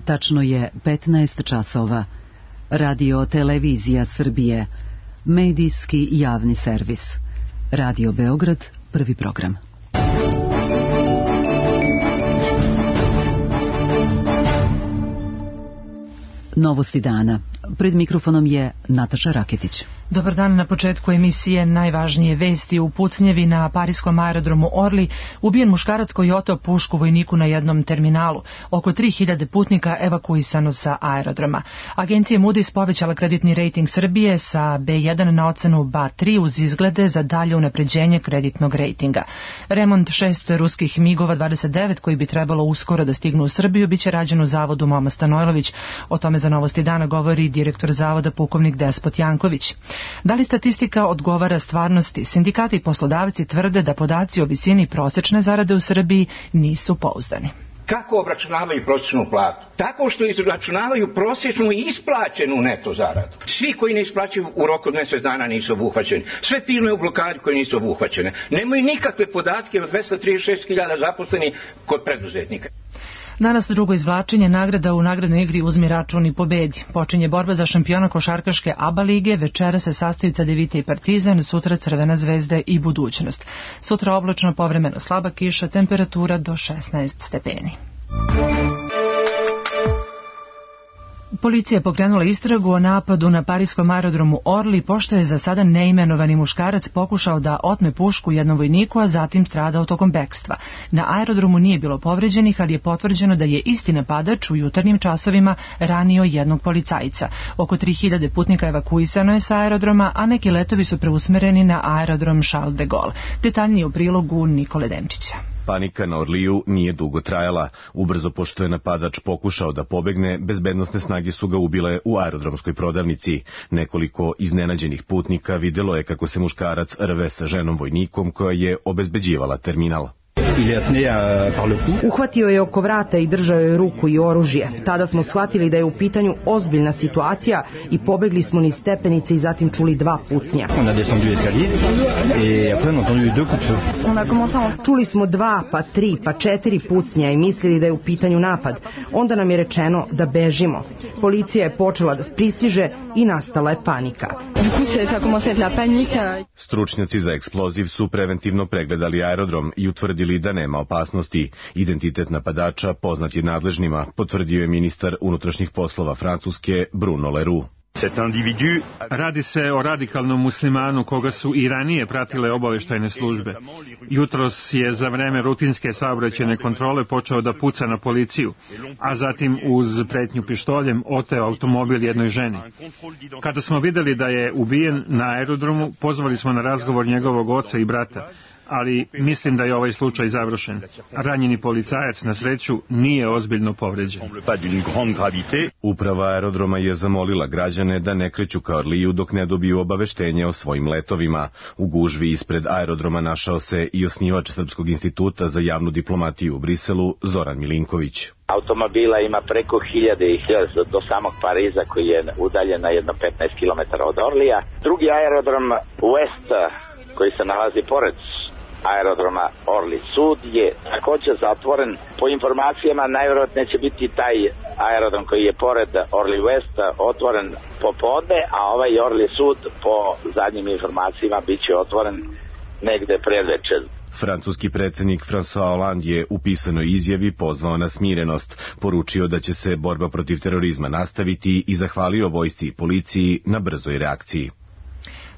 Tačno je 15 časova. Radio Televizija Srbije, medijski javni servis. Radio Beograd, prvi program. Novosti dana. Pred mikrofonom je Nataša Raketić. Dobar dan. Na početku emisije najvažnije vesti. U pucnjevi na pariskom aerodromu Orly ubijen muškarac koji je oteo pušku vojniku na jednom terminalu. Oko 3000 putnika evakuisano sa aerodroma. Agencija Moody's povećala kreditni rejting Srbije sa B1 na ocenu BA3 uz izglede za dalje unapređenje kreditnog rejtinga. Remont 6 ruskih MiG-ova 29 koji bi trebalo uskoro da stignu u Srbiju biće rađen u zavodu Moma Stanojlović. O tome za Novosti dana govori direktor zavoda pukovnik Despot Janković. Da li statistika odgovara stvarnosti? Sindikati i poslodavci tvrde da podaci o visini prosečne zarade u Srbiji nisu pouzdani. Kako obračunavaju prosječnu platu? Tako što izračunavaju prosječnu i isplaćenu neto zaradu. Svi koji ne isplaćuju u roku od mjesec dana nisu obuhvaćeni. Sve firme u blokadi koje nisu obuhvaćene. Nemaju nikakve podatke od 236.000 zaposlenih kod preduzetnika. Danas drugo izvlačenje nagrada u nagradnoj igri Uzmi račun i pobedi. Počinje borba za šampiona košarkaške ABA lige, večera se sastaju Cedevita i Partizan, sutra Crvena zvezda i Budućnost. Sutra oblačno, povremeno slaba kiša, temperatura do 16 stepeni. Policija je pokrenula istragu o napadu na pariskom aerodromu Orly, pošto je za sada neimenovani muškarac pokušao da otme pušku jednom vojniku, a zatim stradao tokom bekstva. Na aerodromu nije bilo povređenih, ali je potvrđeno da je isti napadač u jutarnjim časovima ranio jednog policajca. Oko 3000 putnika evakuisano je sa aerodroma, a neki letovi su preusmereni na aerodrom Charles de Gaulle. Detaljnije u prilogu Nikole Demčića. Panika na Orliju nije dugo trajala. Ubrzo pošto je napadač pokušao da pobegne, bezbednosne snage su ga ubile u aerodromskoj prodavnici. Nekoliko iznenađenih putnika videlo je kako se muškarac rve sa ženom vojnikom koja je obezbeđivala terminal. Uhvatio je oko vrata i držao je ruku i oružje. Tada smo shvatili da je u pitanju ozbiljna situacija i pobegli smo niz stepenice i zatim čuli 2 pucnja. Čuli smo 2, pa 3, pa 4 pucnja i mislili da je u pitanju napad. Onda nam je rečeno da bežimo. Policija je počela da pristiže i nastala je panika. Stručnjaci za eksploziv su preventivno pregledali aerodrom i utvrdili da nema opasnosti. Identitet napadača poznat je nadležnima, potvrdio je ministar unutrašnjih poslova Francuske Bruno Leroux. Radi se o radikalnom muslimanu koga su i ranije pratile obaveštajne službe. Jutros je za vreme rutinske saobraćajne kontrole počeo da puca na policiju, a zatim uz pretnju pištoljem oteo automobil jednoj ženi. Kada smo videli da je ubijen na aerodromu, pozvali smo na razgovor njegovog oca i brata, ali mislim da je ovaj slučaj završen. Ranjeni policajac na sreću nije ozbiljno povređen. Uprava aerodroma je zamolila građane da ne kreću ka Orliju dok ne dobiju obaveštenje o svojim letovima. U gužvi ispred aerodroma našao se i osnivač Srpskog instituta za javnu diplomatiju u Briselu, Zoran Milinković. Automobila ima preko 1000 i 1000 do samog Pariza koji je udaljen na jedno 15 km od Orlija. Drugi aerodrom West koji se nalazi pored aerodroma Orly Sud je također zatvoren. Po informacijama najvjerojatnije će biti taj aerodrom koji je pored Orly West otvoren popodne, a ovaj Orly Sud po zadnjim informacijama bit će otvoren negde predvečer. Francuski predsjednik François Hollande je u pisanoj izjavi pozvao na smirenost, poručio da će se borba protiv terorizma nastaviti i zahvalio vojsci i policiji na brzoj reakciji.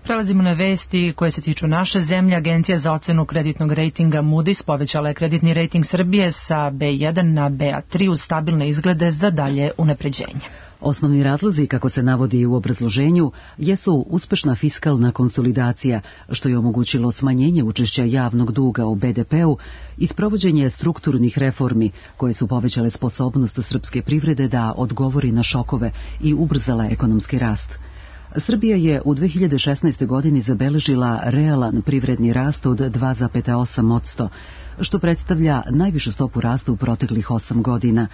Prelazimo na vesti koje se tiču naše zemlje. Agencija za ocenu kreditnog rejtinga Moody's povećala je kreditni rejting Srbije sa B1 na BA3 uz stabilne izglede za dalje unapređenje. Osnovni razlozi, kako se navodi u obrazloženju, jesu uspešna fiskalna konsolidacija, što je omogućilo smanjenje učešća javnog duga u BDP-u i sprovođenje strukturnih reformi koje su povećale sposobnost srpske privrede da odgovori na šokove i ubrzala ekonomski rast. Srbija je u 2016. godini zabeležila realan privredni rast od 2,8%. što predstavlja najvišu stopu rasta u proteklih 8 godina.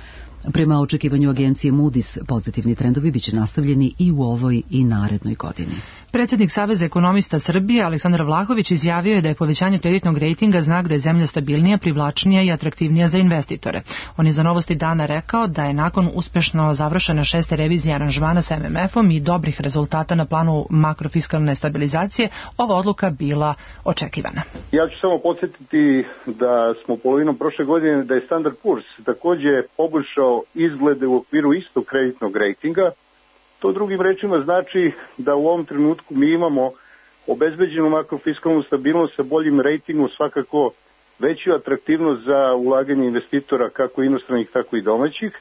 Prema očekivanju agencije Moody's, pozitivni trendovi biće nastavljeni i u ovoj i narednoj godini. Predsjednik Saveza ekonomista Srbije Aleksandar Vlahović izjavio je da je povećanje kreditnog rejtinga znak da je zemlja stabilnija, privlačnija i atraktivnija za investitore. On je za Novosti dana rekao da je nakon uspešno završena 6. revizija aranžmana sa MMF-om i dobrih rezultata na planu makrofiskalne stabilizacije, ova odluka bila očekivana. Ja ću samo podsjetiti da smo polovinom prošle godine da je Standard Poor's takođe poboljšao izglede u okviru istog kreditnog rejtinga. To drugim rečima znači da u ovom trenutku mi imamo obezbeđenu makrofiskalnu stabilnost sa boljim rejtingom, svakako veću atraktivnost za ulaganje investitora kako inostranih tako i domaćih,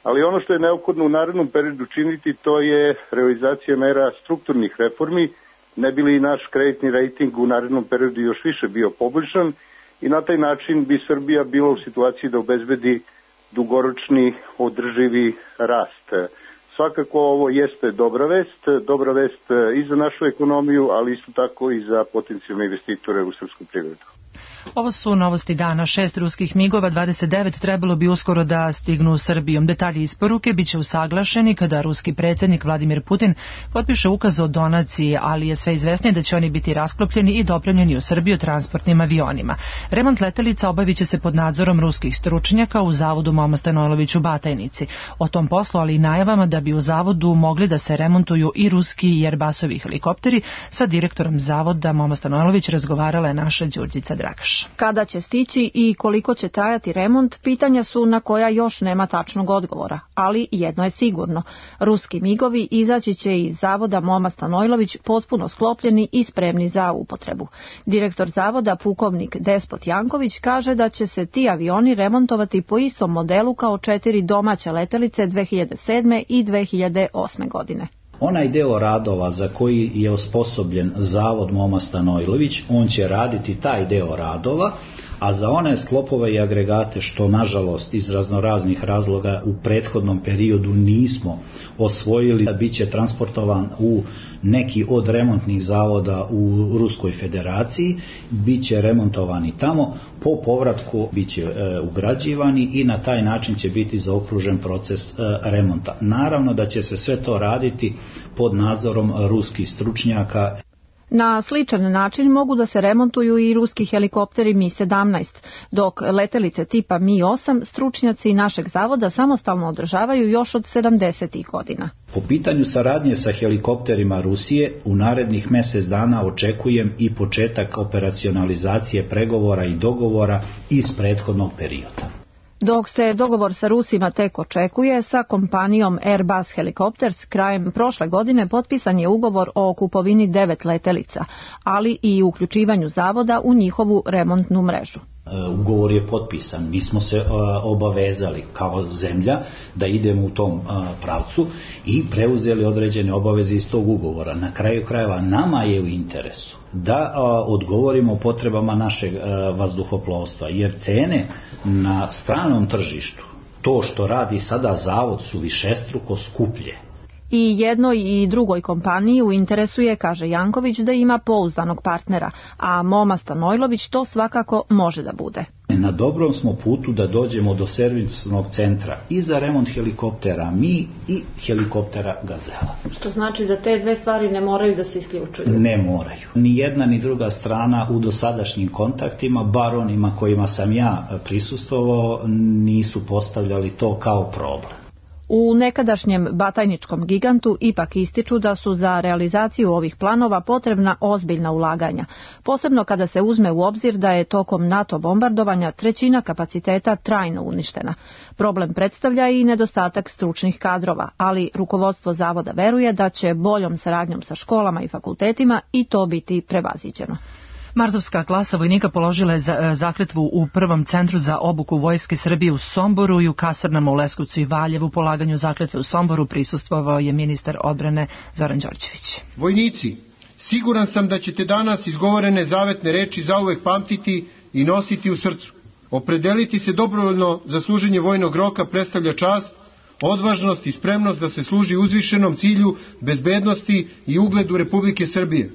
ali ono što je neophodno u narednom periodu činiti to je realizacija mera strukturnih reformi, ne bi li naš kreditni rejting u narednom periodu još više bio poboljšan i na taj način bi Srbija bila u situaciji da obezbedi dugoročni održivi rast. Svakako ovo jeste dobra vest i za našu ekonomiju, ali isto tako i za potencijalne investitore u srpsku privredu. Ovo su novosti dana. 6 ruskih migova 29 trebalo bi uskoro da stignu u Srbiju. Detalji isporuke biće usaglašeni kada ruski predsjednik Vladimir Putin potpiše ukaz o donaciji, ali je sve izvesnije da će oni biti rasklopljeni i dopremljeni u Srbiju transportnim avionima. Remont letelica obavit će se pod nadzorom ruskih stručnjaka u zavodu Moma Stanojlović u Batajnici. O tom poslu, ali i najavama da bi u zavodu mogli da se remontuju i ruski i Airbusovi helikopteri, sa direktorom zavoda Moma Stanojlović razgovarala je naša Đurđica Dragaš. Kada će stići i koliko će trajati remont, pitanja su na koja još nema tačnog odgovora, ali jedno je sigurno. Ruski migovi izaći će iz zavoda Moma Stanojlović potpuno sklopljeni i spremni za upotrebu. Direktor zavoda, pukovnik Despot Janković, kaže da će se ti avioni remontovati po istom modelu kao 4 domaće letelice 2007. i 2008. godine. Onaj deo radova za koji je osposobljen zavod Moma Stanojlović, on će raditi taj deo radova, a za one sklopove i agregate što nažalost iz raznoraznih razloga u prethodnom periodu nismo osvojili, bit će transportovan u neki od remontnih zavoda u Ruskoj federaciji, bit će remontovani tamo, po povratku bit će ugrađivani i na taj način će biti zaokružen proces remonta. Naravno da će se sve to raditi pod nadzorom ruskih stručnjaka. Na sličan način mogu da se remontuju i ruski helikopteri Mi-17, dok letelice tipa Mi-8 stručnjaci našeg zavoda samostalno održavaju još od 70. godina. Po pitanju saradnje sa helikopterima Rusije, u narednih mjesec dana očekujem i početak operacionalizacije pregovora i dogovora iz prethodnog perioda. Dok se dogovor sa Rusima tek očekuje, sa kompanijom Airbus Helicopters krajem prošle godine potpisan je ugovor o kupovini 9 letelica, ali i uključivanju zavoda u njihovu remontnu mrežu. Ugovor je potpisan, mi smo se obavezali kao zemlja da idemo u tom pravcu i preuzeli određene obaveze iz tog ugovora. Na kraju krajeva nama je u interesu da odgovorimo potrebama našeg vazduhoplovstva, jer cene na stranom tržištu, to što radi sada zavod, su višestruko skuplje. I jednoj i drugoj kompaniji u interesu je, kaže Janković, da ima pouzdanog partnera, a Moma Stanojlović to svakako može da bude. Na dobrom smo putu da dođemo do servisnog centra i za remont helikoptera Mi i helikoptera Gazela. Što znači da te dve stvari ne moraju da se isključuju? Ne moraju. Ni jedna ni druga strana u dosadašnjim kontaktima, bar onima kojima sam ja prisustvovao, nisu postavljali to kao problem. U nekadašnjem batajničkom gigantu ipak ističu da su za realizaciju ovih planova potrebna ozbiljna ulaganja, posebno kada se uzme u obzir da je tokom NATO bombardovanja 1/3 kapaciteta trajno uništena. Problem predstavlja i nedostatak stručnih kadrova, ali rukovodstvo zavoda veruje da će boljom saradnjom sa školama i fakultetima i to biti prevaziđeno. Martovska klasa vojnika položila je zakletvu u prvom centru za obuku Vojske Srbije u Somboru i u kasarnama u Leskovcu i Valjevu. Polaganju zakletve u Somboru prisustvovao je ministar odbrane Zoran Đorđević. Vojnici, siguran sam da ćete danas izgovorene zavetne reči zauvek pamtiti i nositi u srcu. Opredeliti se dobrovoljno za služenje vojnog roka predstavlja čast, odvažnost i spremnost da se služi uzvišenom cilju bezbednosti i ugledu Republike Srbije.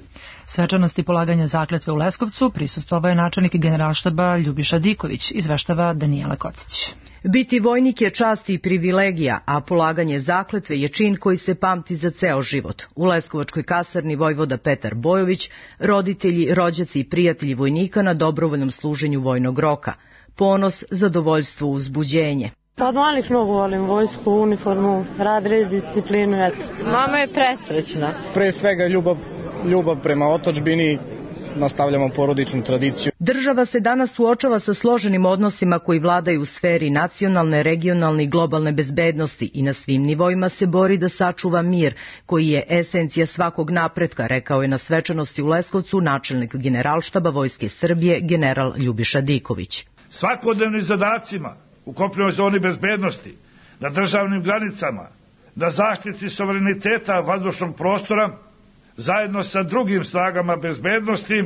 Svečanosti polaganja zakletve u Leskovcu prisustvovao je načelnik Generalštaba Ljubiša Diković, izveštava Danijela Kocić. Biti vojnik je čast i privilegija, a polaganje zakletve je čin koji se pamti za ceo život. U Leskovačkoj kasarni vojvoda Petar Bojović, roditelji, rođaci i prijatelji vojnika na dobrovoljnom služenju vojnog roka. Ponos, zadovoljstvo, uzbuđenje. Pa od malih mnogo volim vojsku, uniformu, rad, red, disciplinu, eto. Mama je presrećna. Pre svega ljubav prema otadžbini, nastavljamo porodičnu tradiciju. Država se danas suočava sa složenim odnosima koji vladaju u sferi nacionalne, regionalne i globalne bezbednosti i na svim nivoima se bori da sačuva mir, koji je esencija svakog napretka, rekao je na svečanosti u Leskovcu načelnik Generalštaba Vojske Srbije general Ljubiša Diković. Svakodnevnim zadacima u kopnenoj zoni bezbednosti, na državnim granicama, na zaštiti suvereniteta vazdušnog prostora, zajedno sa drugim snagama bezbednosti,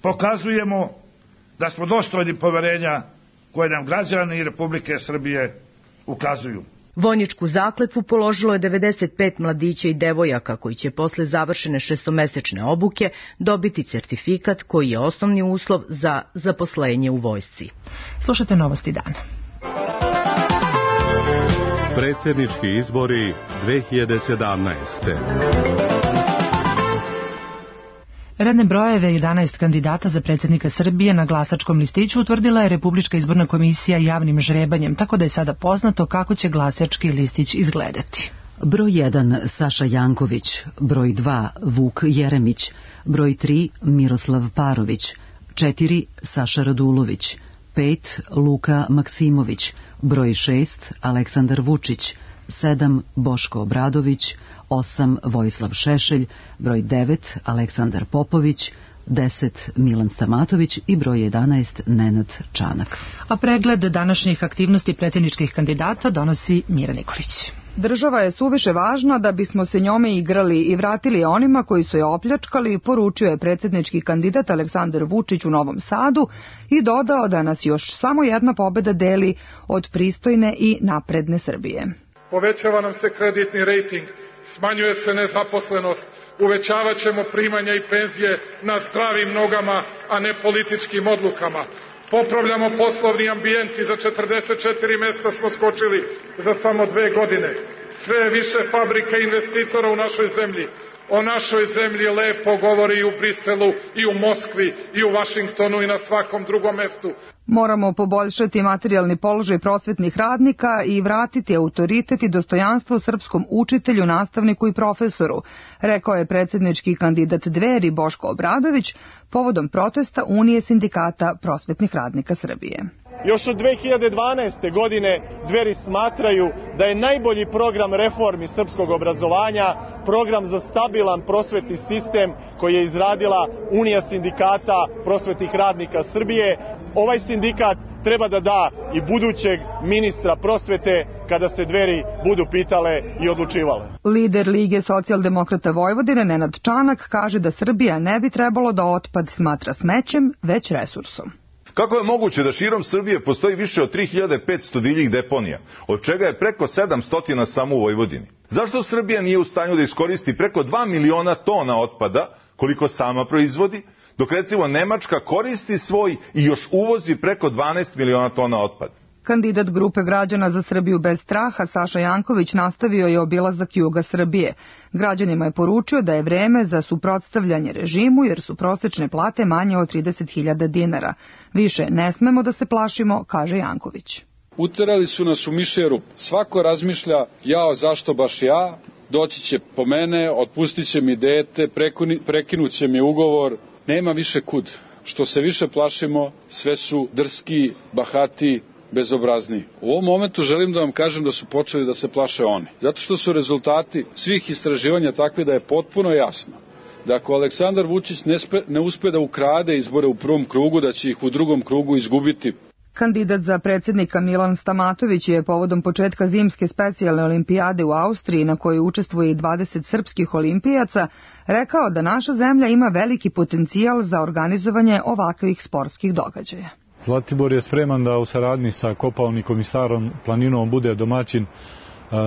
pokazujemo da smo dostojni poverenja koje nam građani Republike Srbije ukazuju. Vojničku zakletvu položilo je 95 mladića i devojaka koji će posle završene 6-mesečne obuke dobiti certifikat koji je osnovni uslov za zaposlenje u vojsci. Slušajte novosti dana. Predsjednički izbori 2017. Redne brojeve 11 kandidata za predsjednika Srbije na glasačkom listiću utvrdila je Republička izborna komisija javnim žrebanjem, tako da je sada poznato kako će glasački listić izgledati. Broj 1 Saša Janković, broj 2 Vuk Jeremić, broj 3 Miroslav Parović, 4 Saša Radulović, 5 Luka Maksimović, broj 6 Aleksandar Vučić, 7 Boško Obradović, 8 Vojislav Šešelj, broj 9 Aleksandar Popović, 10 Milan Stamatović i broj 11 Nenad Čanak. A pregled današnjih aktivnosti predsjedničkih kandidata donosi Mira Nikolić. Država je suviše važna da bismo se njome igrali i vratili je onima koji su je opljačkali, poručio je predsjednički kandidat Aleksandar Vučić u Novom Sadu i dodao da nas još samo jedna pobeda deli od pristojne i napredne Srbije. Povećava nam se kreditni rejting, smanjuje se nezaposlenost, uvećavat ćemo primanja i penzije na zdravim nogama, a ne političkim odlukama. Popravljamo poslovni ambijent i za 44 mesta smo skočili za samo 2 godine. Sve više fabrika i investitora u našoj zemlji. O našoj zemlji lepo govori i u Briselu, i u Moskvi, i u Vašingtonu i na svakom drugom mestu. Moramo poboljšati materijalni položaj prosvetnih radnika i vratiti autoritet i dostojanstvo srpskom učitelju, nastavniku i profesoru, rekao je predsjednički kandidat Dveri Boško Obradović povodom protesta Unije sindikata prosvetnih radnika Srbije. Još od 2012. godine Dveri smatraju da je najbolji program reformi srpskog obrazovanja program za stabilan prosvetni sistem koji je izradila Unija sindikata prosvetnih radnika Srbije. Ovaj sindikat treba da da i budućeg ministra prosvete kada se Dveri budu pitale i odlučivale. Lider Lige socijaldemokrata Vojvodine Nenad Čanak kaže da Srbija ne bi trebalo da otpad smatra smećem, već resursom. Kako je moguće da širom Srbije postoji više od 3500 divljih deponija, od čega je preko 700 samo u Vojvodini? Zašto Srbija nije u stanju da iskoristi preko 2 miliona tona otpada, koliko sama proizvodi, dok recimo Nemačka koristi svoj i još uvozi preko 12 miliona tona otpada? Kandidat grupe građana za Srbiju bez straha Saša Janković nastavio je obilazak juga Srbije. Građanima je poručio da je vreme za suprotstavljanje režimu jer su prosečne plate manje od 30.000 dinara. Više ne smemo da se plašimo, kaže Janković. Uterali su nas u mišeru. Svako razmišlja, jao zašto baš ja, doći će po mene, otpustit će mi dete, prekinut će mi ugovor. Nema više kud. Što se više plašimo, sve su drski, bahati, bezobrazni. U ovom momentu želim da vam kažem da su počeli da se plaše oni. Zato što su rezultati svih istraživanja takvi da je potpuno jasno da ako Aleksandar Vučić ne uspe da ukrade izbore u prvom krugu, da će ih u drugom krugu izgubiti. Kandidat za predsjednika Milan Stamatović je povodom početka zimske specijalne olimpijade u Austriji, na kojoj učestvuje i 20 srpskih olimpijaca, rekao da naša zemlja ima veliki potencijal za organizovanje ovakvih sportskih događaja. Zlatibor je spreman da u saradnji sa Kopaonikom i Starom planinom bude domaćin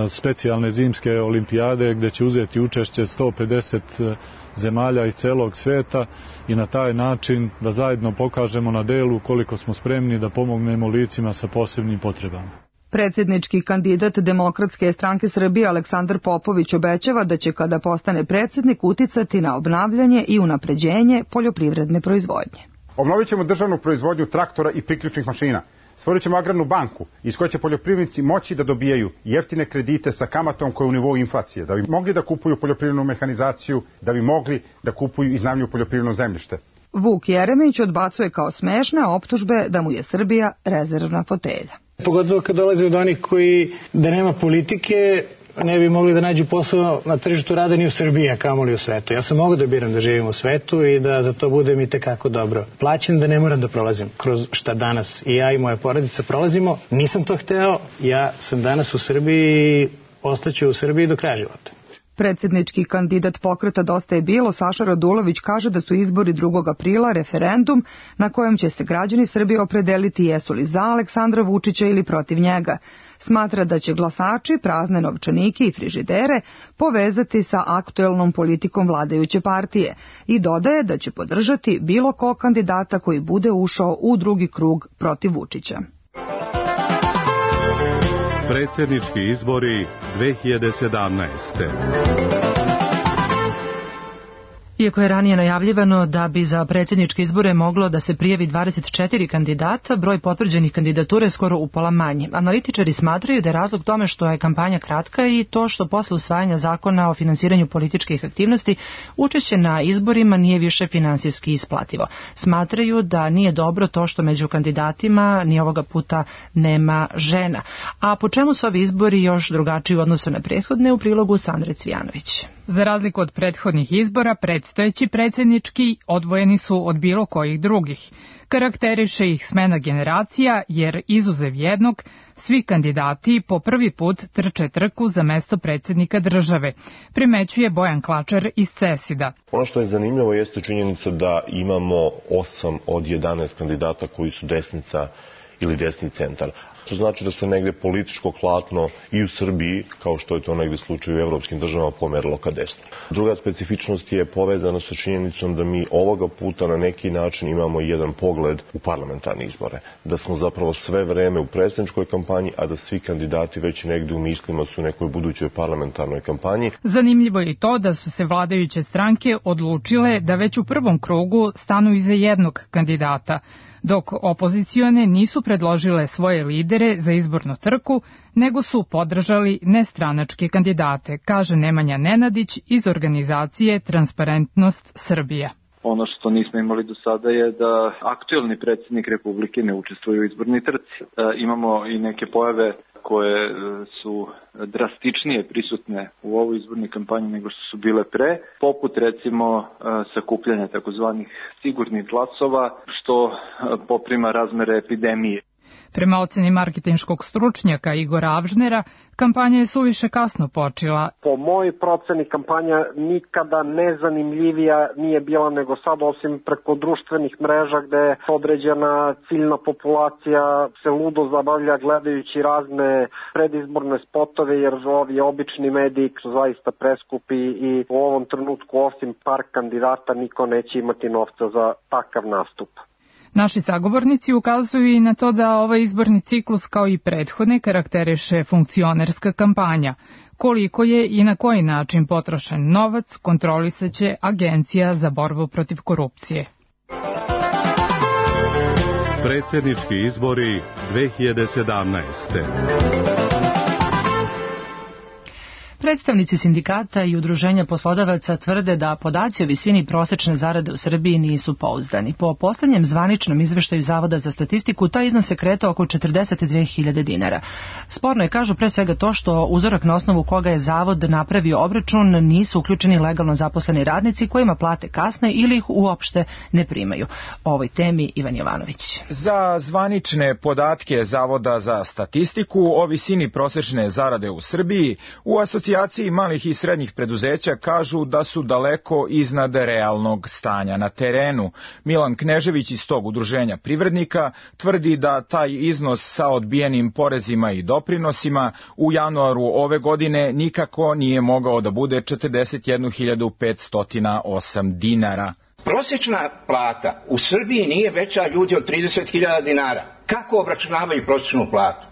specijalne zimske olimpijade gdje će uzeti učešće 150 zemalja iz celog sveta i na taj način da zajedno pokažemo na delu koliko smo spremni da pomognemo licima sa posebnim potrebama. Predsjednički kandidat Demokratske stranke Srbije Aleksandar Popović obećava da će kada postane predsjednik uticati na obnavljanje i unapređenje poljoprivredne proizvodnje. Obnovit ćemo državnu proizvodnju traktora i priključnih mašina. Stvorit ćemo agrarnu banku iz koje će poljoprivrednici moći da dobijaju jeftine kredite sa kamatom koja je u nivou inflacije, da bi mogli da kupuju poljoprivrednu mehanizaciju, da bi mogli da kupuju i iznajmljuju poljoprivredno zemljište. Vuk Jeremić odbacuje kao smešne optužbe da mu je Srbija rezervna fotelja. Pogotovo kad dolaze od onih koji da nema politike ne bi mogli da nađu posao na tržištu rada ni u Srbiji, a kamoli u svetu. Ja sam mogao da biram da živim u svetu i da za to budem i tekako dobro plaćen, da ne moram da prolazim kroz šta danas i ja i moja porodica prolazimo. Nisam to hteo, ja sam danas u Srbiji i ostaću u Srbiji do kraja života. Predsjednički kandidat Pokreta Dosta je bilo, Saša Radulović, kaže da su izbori 2. aprila referendum na kojem će se građani Srbije opredeliti jesu li za Aleksandra Vučića ili protiv njega. Smatra da će glasači prazne novčanike i frižidere povezati sa aktuelnom politikom vladajuće partije i dodaje da će podržati bilo kog kandidata koji bude ušao u drugi krug protiv Vučića. Predsjednički izbori 2017. Iako je ranije najavljivano da bi za predsjedničke izbore moglo da se prijavi 24 kandidata, broj potvrđenih kandidatura je skoro upola manji. Analitičari smatraju da je razlog tome što je kampanja kratka i to što posle usvajanja zakona o finansiranju političkih aktivnosti učešće na izborima nije više finansijski isplativo. Smatraju da nije dobro to što među kandidatima ni ovoga puta nema žena. A po čemu su ovi izbori još drugačiji u odnosu na prethodne, u prilogu Sandre Cvijanović. Za razliku od prethodnih izbora, predstojeći predsjednički odvojeni su od bilo kojih drugih. Karakteriše ih smena generacija, jer izuzev jednog, svi kandidati po prvi put trče trku za mesto predsjednika države, primećuje Bojan Klačar iz CESID-a. Ono što je zanimljivo jeste činjenica da imamo 8 od 11 kandidata koji su desnica ili desni centar. To znači da se negde političko klatno i u Srbiji, kao što je to negde slučaj u evropskim državama, pomerilo ka desno. Druga specifičnost je povezana sa činjenicom da mi ovoga puta na neki način imamo jedan pogled u parlamentarne izbore. Da smo zapravo sve vreme u predsjedničkoj kampanji, a da svi kandidati već negde u mislima su u nekoj budućoj parlamentarnoj kampanji. Zanimljivo je i to da su se vladajuće stranke odlučile da već u prvom krugu stanu iza jednog kandidata, dok opozicione nisu predložile svoje lidere za izbornu trku, nego su podržali nestranačke kandidate, kaže Nemanja Nenadić iz organizacije Transparentnost Srbija. Ono što nismo imali do sada je da aktuelni predsjednik Republike ne učestvuje u izbornoj trci. Imamo i neke pojave koje su drastičnije prisutne u ovoj izbornoj kampanji nego što su bile pre, poput recimo sakupljanja takozvanih sigurnih glasova, što poprima razmere epidemije. Prema oceni marketinškog stručnjaka Igora Avžnera, kampanja je suviše kasno počela. Po mojoj proceni kampanja nikada nezanimljivija nije bila nego sad, osim preko društvenih mreža gde određena ciljna populacija se ludo zabavlja gledajući razne predizborne spotove, jer ovi obični mediji su zaista preskupi i u ovom trenutku osim par kandidata niko neće imati novca za takav nastup. Naši sagovornici ukazuju i na to da ovaj izborni ciklus kao i prethodne karakteriše funkcionerska kampanja. Koliko je i na koji način potrošen novac kontrolisaće Agencija za borbu protiv korupcije. Predsjednički izbori 2017. Predstavnici sindikata i udruženja poslodavaca tvrde da podaci o visini prosečne zarade u Srbiji nisu pouzdani. Po poslednjem zvaničnom izveštaju Zavoda za statistiku, taj iznos se kretao oko 42.000 dinara. Sporno je, kažu, pre svega to što uzorak na osnovu koga je Zavod napravio obračun nisu uključeni legalno zaposleni radnici kojima plate kasne ili ih uopšte ne primaju. O ovoj temi Ivan Jovanović. Za zvanične podatke Zavoda za statistiku o visini prosečne zarade u Srbiji u asocijaciji Asocijaciji malih i srednjih preduzeća kažu da su daleko iznad realnog stanja na terenu. Milan Knežević iz tog udruženja privrednika tvrdi da taj iznos sa odbijenim porezima i doprinosima u januaru ove godine nikako nije mogao da bude 41.508 dinara. Prosječna plata u Srbiji nije veća, ljudi, od 30.000 dinara. Kako obračunavaju prosječnu platu?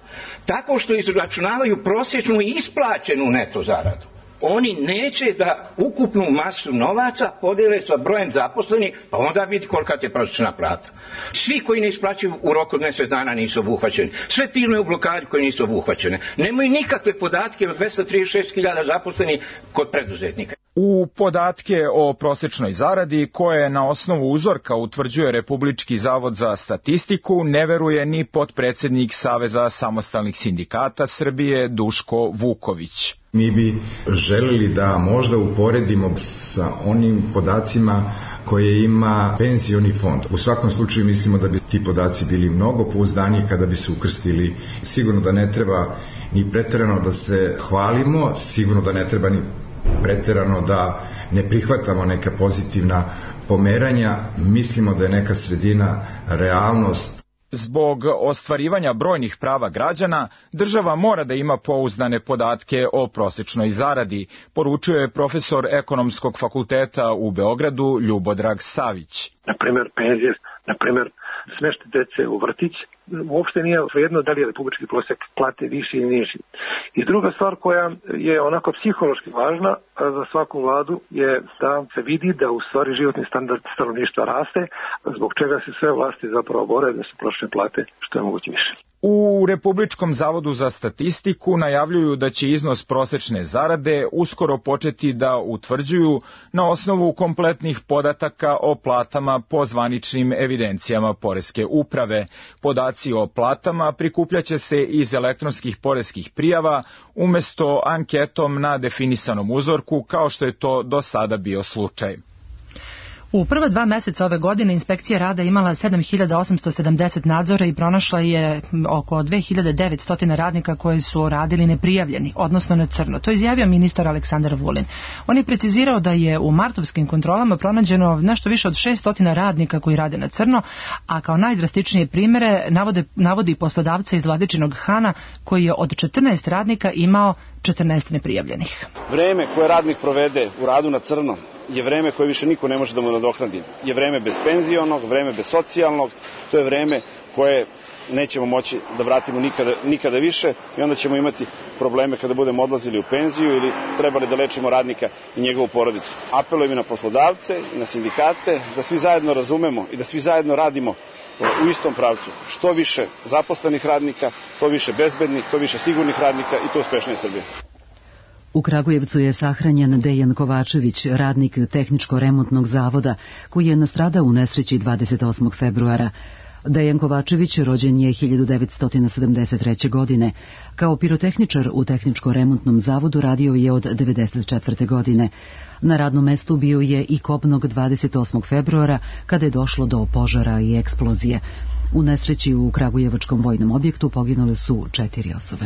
Tako što izračunavaju prosječnu i isplaćenu neto zaradu. Oni neće da ukupnu masu novaca podele sa brojem zaposlenih, pa onda vidi kolika je prosječna plata. Svi koji ne isplaćuju u roku od mjesec dana nisu obuhvaćeni. Sve firme u blokadi koje nisu obuhvaćene. Nemaju nikakve podatke od 236.000 zaposlenih kod preduzetnika. U podatke o prosječnoj zaradi, koje na osnovu uzorka utvrđuje Republički zavod za statistiku, ne veruje ni potpredsednik Saveza samostalnih sindikata Srbije Duško Vuković. Mi bi želeli da možda uporedimo sa onim podacima koje ima penzioni fond. U svakom slučaju mislimo da bi ti podaci bili mnogo pouzdaniji kada bi se ukrstili. Sigurno da ne treba ni preterano da se hvalimo, sigurno da ne treba ni preterano da ne prihvatamo neka pozitivna pomeranja. Mislimo da je neka sredina realnost. Zbog ostvarivanja brojnih prava građana, država mora da ima pouzdane podatke o prosječnoj zaradi, poručuje profesor Ekonomskog fakulteta u Beogradu Ljubodrag Savić. Na primjer, penzije, na primjer, smeštaj dece u vrtić, uopšte nije svejedno da li je republički prosjek plate viši ili niži. I druga stvar koja je onako psihološki važna za svaku vladu je da se vidi da u stvari životni standard stanovništva raste, zbog čega se sve vlasti zapravo bore da se prosječne plate što je moguće više. U Republičkom zavodu za statistiku najavljuju da će iznos prosečne zarade uskoro početi da utvrđuju na osnovu kompletnih podataka o platama po zvaničnim evidencijama poreske uprave. Podaci o platama prikupljaće se iz elektronskih poreskih prijava umesto anketom na definisanom uzorku, kao što je to do sada bio slučaj. U prva 2 meseca ove godine inspekcija rada imala 7.870 nadzora i pronašla je oko 2.900 radnika koji su radili neprijavljeni, odnosno na crno. To je izjavio ministar Aleksandar Vulin. On je precizirao da je u martovskim kontrolama pronađeno nešto više od 600 radnika koji rade na crno, a kao najdrastičnije primere navodi poslodavca iz Vladičinog Hana koji je od 14 radnika imao 14 neprijavljenih. Vreme koje radnik provede u radu na crno je vreme koje više niko ne može da mu nadoknadi. Je vreme bez penzionog, vreme bez socijalnog, to je vreme koje nećemo moći da vratimo nikada više i onda ćemo imati probleme kada budemo odlazili u penziju ili trebali da lečimo radnika i njegovu porodicu. Apelujem i na poslodavce i na sindikate da svi zajedno razumemo i da svi zajedno radimo u istom pravcu. Što više zaposlenih radnika, to više bezbednih, to više sigurnih radnika i to uspešnije Srbije. U Kragujevcu je sahranjen Dejan Kovačević, radnik Tehničko-remontnog zavoda, koji je nastradao u nesreći 28. februara. Dejan Kovačević rođen je 1973. godine. Kao pirotehničar u Tehničko-remontnom zavodu radio je od 1994. godine. Na radnom mestu bio je i kobnog 28. februara kada je došlo do požara i eksplozije. U nesreći u Kragujevačkom vojnom objektu poginule su 4 osobe.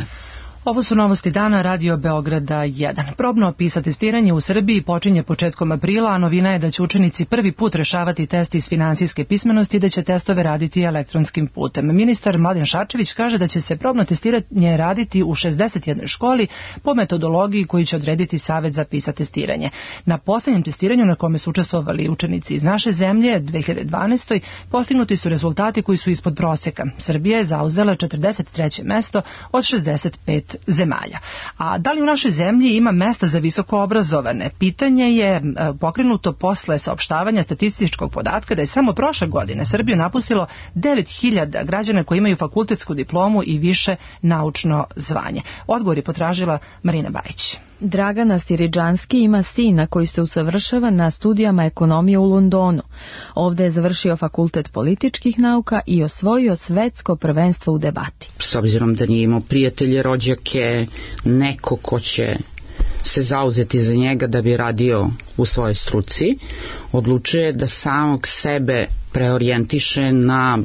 Ovo su novosti dana Radio Beograda 1. Probno PISA testiranje u Srbiji počinje početkom aprila, a novina je da će učenici prvi put rešavati test iz finansijske pismenosti i da će testove raditi elektronskim putem. Ministar Mladen Šarčević kaže da će se probno testiranje raditi u 61 školi po metodologiji koju će odrediti Savet za PISA testiranje. Na posljednjem testiranju na kome su učestvovali učenici iz naše zemlje 2012. postignuti su rezultati koji su ispod prosjeka. Srbija je zauzela 43. mesto od 65 zemalja. A da li u našoj zemlji ima mesta za visoko obrazovane? Pitanje je pokrenuto posle saopštavanja statističkog podatka da je samo prošle godine Srbiju napustilo 9.000 građana koji imaju fakultetsku diplomu i više naučno zvanje. Odgovor je potražila Marina Bajić. Dragana Siridžanski ima sina koji se usavršava na studijama ekonomije u Londonu. Ovdje je završio fakultet političkih nauka i osvojio svetsko prvenstvo u debati. S obzirom da nije imao prijatelje, rođake, neko ko će se zauzeti za njega da bi radio u svojoj struci, odlučuje da samog sebe preorijentiše na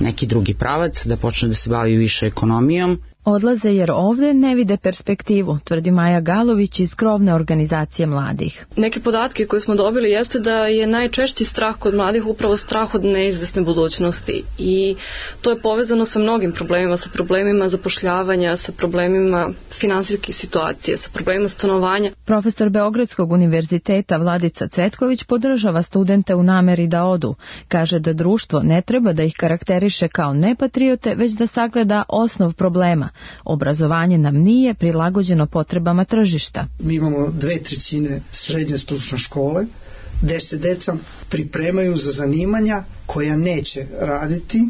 neki drugi pravac, da počne da se bavi više ekonomijom. Odlaze jer ovde ne vide perspektivu, tvrdi Maja Galović iz krovne organizacije mladih. Neke podatke koje smo dobili jeste da je najčešći strah kod mladih upravo strah od neizvesne budućnosti i to je povezano sa mnogim problemima, sa problemima zapošljavanja, sa problemima finansijske situacije, sa problemima stanovanja. Profesor Beogradskog univerziteta Vladica Cvetković podržava studente u nameri da odu. Kaže da društvo ne treba da ih karakteriše kao nepatriote, već da sagleda osnov problema. Obrazovanje nam nije prilagođeno potrebama tržišta. Mi imamo 2/3 srednje stručne škole, gde se deca pripremaju za zanimanja koja neće raditi,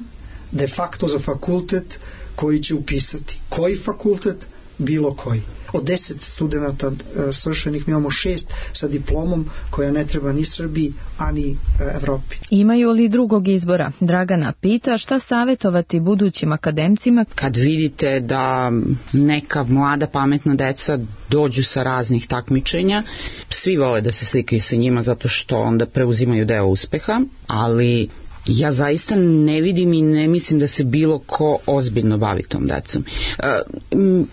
de facto za fakultet koji će upisati. Koji fakultet? Bilo koji. Od 10 studenta svršenih mi imamo 6 sa diplomom koja ne treba ni Srbiji, ani Evropi. Imaju li drugog izbora? Dragana pita šta savjetovati budućim akademcima. Kad vidite da neka mlada pametna deca dođu sa raznih takmičenja, svi vole da se slikaju sa njima zato što onda preuzimaju deo uspeha, ali ja zaista ne vidim i ne mislim da se bilo ko ozbiljno bavi tom decom.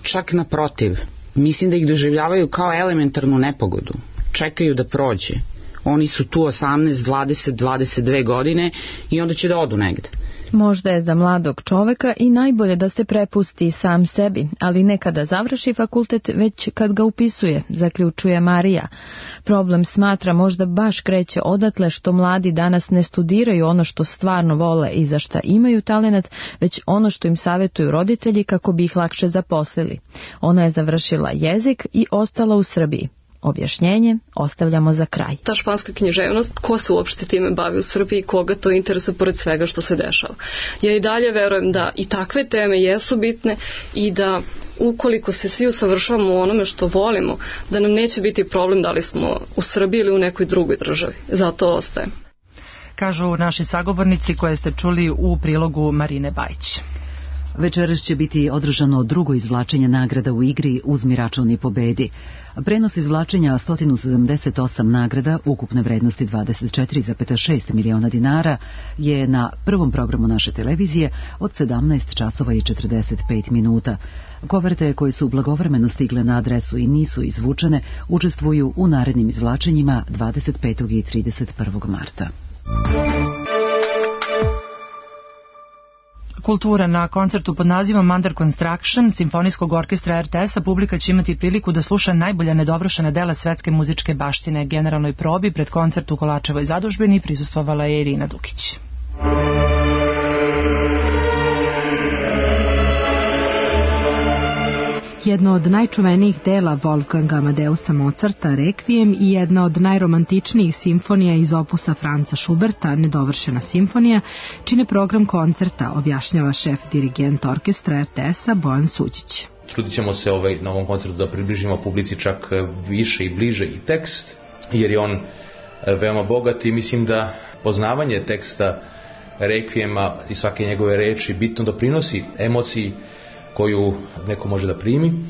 Čak naprotiv, mislim da ih doživljavaju kao elementarnu nepogodu. Čekaju da prođe. Oni su tu 18, 20, 22 godine i onda će da odu negde. Možda je za mladog čoveka i najbolje da se prepusti sam sebi, ali ne kada završi fakultet, već kad ga upisuje, zaključuje Marija. Problem smatra možda baš kreće odatle što mladi danas ne studiraju ono što stvarno vole i za šta imaju talenat, već ono što im savjetuju roditelji kako bi ih lakše zaposlili. Ona je završila jezik i ostala u Srbiji. Objašnjenje ostavljamo za kraj. Ta španska književnost, ko se uopšte time bavi u Srbiji, koga to interesuje pored svega što se dešava. Ja i dalje verujem da i takve teme jesu bitne i da ukoliko se svi usavršavamo u onome što volimo, da nam neće biti problem da li smo u Srbiji ili u nekoj drugoj državi. Zato ostaje. Kažu naši sagovornici koje ste čuli u prilogu Marine Bajić. Večeras će biti održano drugo izvlačenje nagrada u igri Uzmi račun i pobedi. Prenos izvlačenja 178 nagrada ukupne vrednosti 24,6 miliona dinara je na prvom programu naše televizije od 17 časova i 45 minuta. Koverte koje su blagovremeno stigle na adresu i nisu izvučene učestvuju u narednim izvlačenjima 25. i 31. marta. Kultura na koncertu pod nazivom Under Construction Simfonijskog orkestra RTS-a publika će imati priliku da sluša najbolja nedovršena dela svetske muzičke baštine. Generalnoj probi pred koncert u Kolačevoj zadužbini prisustvovala je Irina Dukić. Jedno od najčuvenijih dela Wolfganga Amadeusa Mozarta, Requiem, i jedna od najromantičnijih simfonija iz opusa Franca Schuberta, Nedovršena simfonija, čine program koncerta, objašnjava šef dirigent orkestra RTS-a Bojan Suđić. Trudit ćemo se na ovom koncertu da približimo publici čak više i bliže i tekst, jer je on veoma bogat i mislim da poznavanje teksta Requiema i svake njegove reči bitno doprinosi emociji koju neko može da primi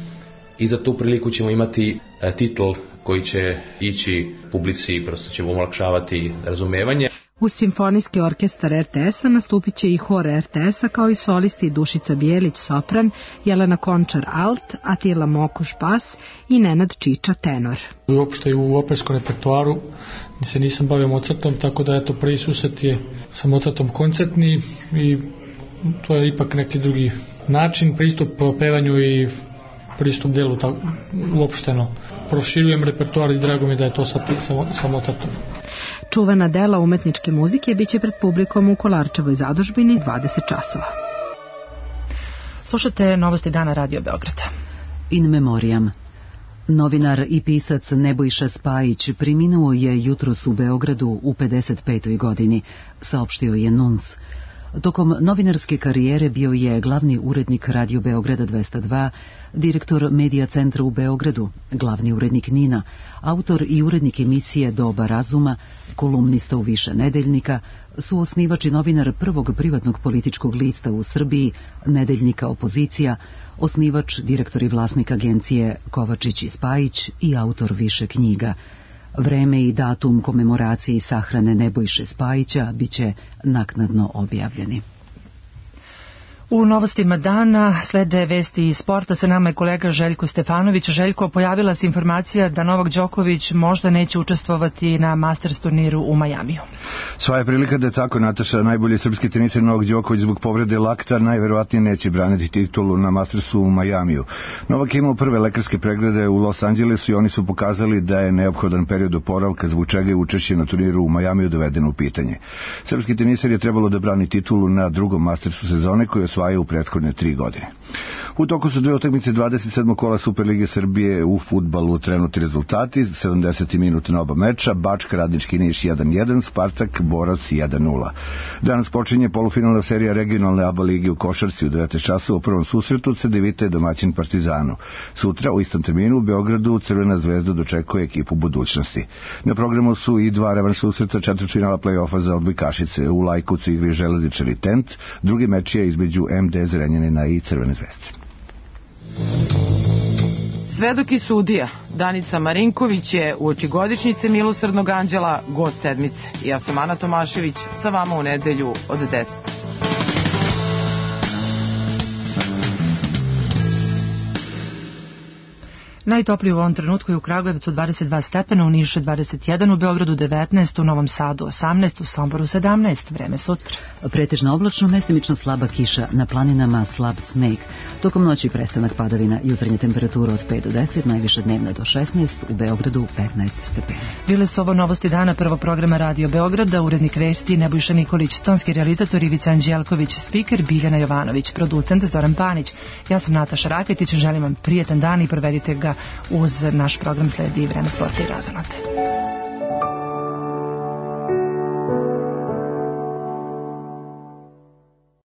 i za tu priliku ćemo imati titl koji će ići publici, prosto ćemo olakšavati razumevanje. Uz simfonijski orkestar RTS-a nastupit će i hor RTS-a kao i solisti Dušica Bijelić sopran, Jelena Končar alt, Atila Mokuš bas i Nenad Čiča tenor. Uopšte u operskom repertoaru se nisam bavio Mozartom, tako da eto prvi susret je sa Mozartom koncertni i to je ipak neki drugi način, pristup pevanju i pristup delu uopšteno. Proširujem repertoar i drago mi da je to sa Mozartom. Čuvena dela umetničke muzike biće pred publikom u Kolarčevoj zadužbini 20 časova. Slušate novosti dana Radio Beograda. In memoriam. Novinar i pisac Nebojša Spajić preminuo je jutros u Beogradu u 55. godini, saopštio je NUNS. Tokom novinarske karijere bio je glavni urednik Radio Beograda 202, direktor Medija centra u Beogradu, glavni urednik NIN-a, autor i urednik emisije Doba razuma, kolumnista u više nedeljnika, suosnivač i novinar prvog privatnog političkog lista u Srbiji, nedeljnika Opozicija, osnivač, direktor i vlasnik agencije Kovačić i Spajić i autor više knjiga. Vreme i datum komemoraciji sahrane Nebojše Spajića biće naknadno objavljeni. U novostima dana slede vesti iz sporta, sa nama je kolega Željko Stefanović. Željko, pojavila se informacija da Novak Đoković možda neće učestvovati na Masters turniru u Majamiju. Sva je prilika da je tako, Nataša. Najbolji srpski teniser Novak Đoković zbog povrede lakta najverovatnije neće braniti titulu na Mastersu u Majamiju. Novak je imao prve lekarske preglede u Los Angelesu i oni su pokazali da je neophodan period oporavka, zbog čega je učešće na turniru u Majamiju dovedeno u pitanje. Srpski teniser je trebalo da brani titulu na drugom Mastersu sezone koji osvaja u prethodne 3 godine. U toku su 2 utakmice 27. kola Superlige Srbije u fudbalu. Trenutni rezultati: 70. minut na oba meča, Bačka Radnički Niš 1-1, Spartak Borac 1-0. Danas počinje polufinalna serija regionalne ABA lige u košarci u 19 časova. U prvom susretu Cedevita je domaćin Partizanu. Sutra u istom terminu u Beogradu Crvena zvezda dočekuje ekipu budućnosti. Na programu su i 2 revanš susreta četvrtfinala play-offa za odbojkašice. U Lajkovcu igri Železničar i Tent. Drugi meč je između MD Zrenjanina i Crvene zvezde. Svedok i sudija Danica Marinković je uoči godišnjice Milosrdnog anđela gost sedmice. Ja sam Ana Tomašević, sa vama u nedelju od 10. Najtopliji u ovom trenutku je u Kragujevcu 22 stepena, u Nišu 21, u Beogradu 19, u Novom Sadu 18, u Somboru 17. Vreme sutra. Pretežno oblačno, mestimično slaba kiša, na planinama slab sneg. Tokom noći prestanak padavina, jutarnja temperatura od 5 do 10, najviše dnevna do 16, u Beogradu 15 stepena. Bile su ovo novosti dana prvog programa Radio Beograda, urednik vesti Nebojša Nikolić, tonski realizator Ivica Anđelković, spiker Biljana Jovanović, producent Zoran Panić. Ja sam Nataša Raketić, želim vam prijetan dan i provedite ga uz naš program. Sledi Vreme sporta i razonate.